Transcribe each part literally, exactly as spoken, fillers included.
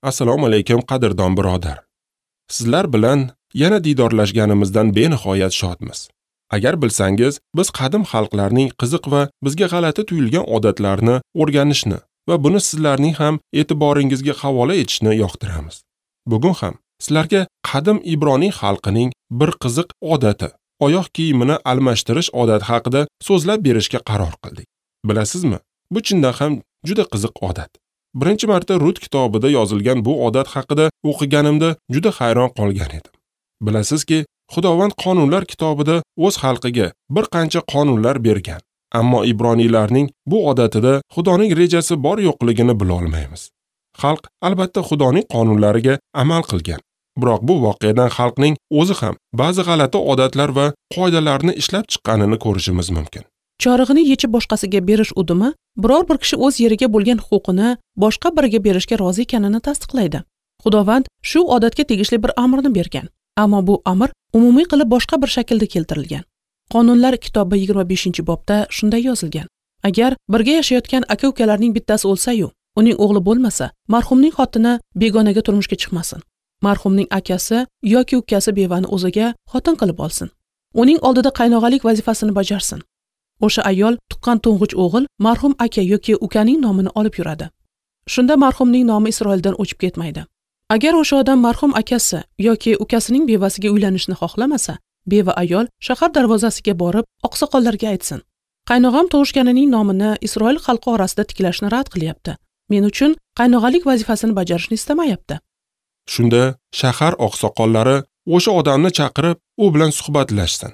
Assalomu alaykum qadrdon birodar. Sizlar bilan yana diydorlashganimizdan benihoyat shodmiz. Agar bilsangiz, biz qadim xalqlarning qiziq va bizga g'alati tuyulgan odatlarini o'rganishni va buni sizlarning ham e'tiboringizga havola etishni yoqtiramiz. Bugun ham sizlarga qadim Ibroniy xalqining bir qiziq odati, oyoq kiyimini almashtirish odati haqida so'zlab berishga qaror qildik. Bilasizmi, bu chindan ham juda qiziq odat. Birinchi marta Rut kitobida yozilgan bu odat haqida o'qiganimda juda hayron qolgan edim. Bilasizki, Xudovand qonunlar kitobida o'z xalqiga bir qancha qonunlar bergan. Ammo ibroniylarning bu odatida Xudoning rejasi bor yo'qligini bila olmaymiz. Xalq albatta Xudoning qonunlariga amal qilgan. Biroq bu voqeadan xalqning o'zi ham ba'zi g'alati odatlar va qoidalarni ishlab chiqqanini ko'rishimiz mumkin. Chorig'ini yechib boshqasiga berish udumi biror bir kishi o'z yeriga bo'lgan huquqini boshqa biriga berishga rozi ekanini tasdiqlaydi. Xudovand shu odatga tegishli bir amrni bergan. Ammo bu amr umumiy qilib boshqa bir shaklda keltirilgan. Qonunlar kitobi yigirma beshinchi bobda shunday yozilgan. Agar birga yashayotgan aka-ukalarning bittasi o'lsa-yu, uning o'g'li bo'lmasa, marhumning xotini begonaga turmushga chiqmasin. Marhumning akasi yoki ukasi bevani o'ziga xotin qilib olsin. Uning oldida qaynog'alik vazifasini bajarsin. O'sha ayol tuqqan to'ng'ich o'g'il marhum aka yoki ukaning nomini olib yuradi. Shunda marhumning nomi Isroildan o'chib ketmaydi. Agar o'sha odam marhum akasi yoki ukasining bevasiga uylanishni xohlamasa, beva ayol shahar darvozasiga borib oqsoqollarga aytsin. Qaynog'am tug'ishganining nomini Isroil xalqi orasida tiklashni rad qilyapti. Men uchun qaynog'alik vazifasini bajarishni istamayapti. Shunda shahar oqsoqollari o'sha odamni chaqirib, u bilan suhbatlashsin.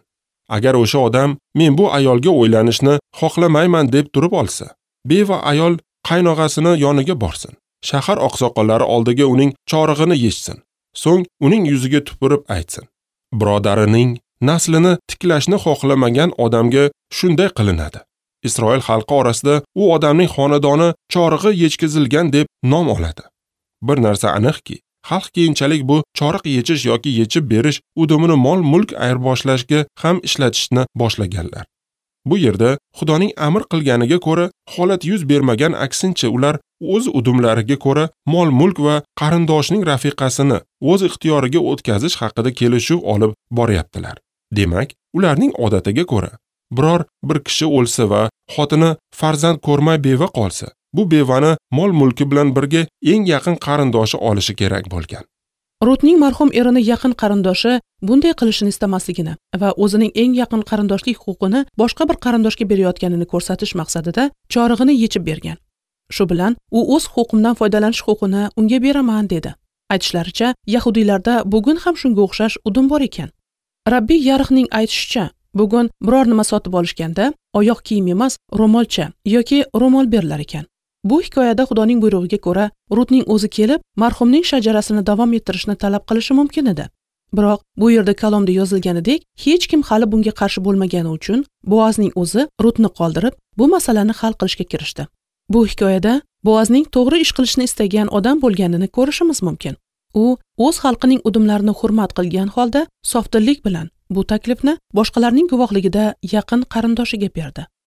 Agar o'sha odam men bu ayolga o'ylanishni xohlamayman deb turib olsa, beva ayol qaynog'asini yoniga borsin. Shahar oqsoqollari oldiga uning chorig'ini yechsin. So'ng uning yuziga tupurib aytsin. Birodarining naslini tiklashni xohlamagan odamga shunday qilinadi. Isroil xalqi orasida u odamning xonadoni chorig'i yechkizilgan deb nom oladi. Bir narsa aniqki, xalq keyinchalik bu choriq yechish yoki yechib berish udumini mol-mulk ayirboshlashga ham ishlatishni boshlaganlar. Bu yerda Xudoning amr qilganiga ko'ra holat yuz bermagan, aksincha ular o'z udumlariga ko'ra mol-mulk va qarindoshning rafiqasini o'z ixtiyoriga o'tkazish haqida kelishuv olib boryaptilar. Demak, ularning odatiga ko'ra biror bir kishi o'lsa va xotini farzand ko'rmay beva qolsa, bu bevani mol-mulki bilan birga eng yaqin qarindoshi olishi kerak bo'lgan. Rutning marhum erini yaqin qarindoshi bunday qilishini istamasligini va o'zining eng yaqin qarindoshlik huquqini boshqa bir qarindoshga berayotganini ko'rsatish maqsadida chorig'ini yechib bergan. Shu bilan u o'z huquqimdan foydalanish huquqini unga beraman dedi. Aytishlaricha, yahudiylarda bugun ham shunga o'xshash udum bor ekan. Rabbiy Yarixning aytishicha, bugun biror nima sotib olishganda oyoq kiyim emas, ro'molcha yoki ro'mol berilar ekan. Bu hikoyada Xudoning buyrug'iga ko'ra Rutning o'zi kelib, marhumning shajarasini davom ettirishni talab qilishi mumkin edi. Biroq bu yerda kalomda yozilganidek, hech kim hali bunga qarshi bo'lmagani uchun Boazning o'zi Rutni qoldirib, bu masalani hal qilishga kirishdi. Bu hikoyada Boazning to'g'ri ish qilishni istagan odam bo'lganini ko'rishimiz mumkin. U o'z xalqining udumlarini hurmat qilgan holda sofdillik bilan bu taklifni boshqalarning guvohligida yaqin qarindoshiga berdi.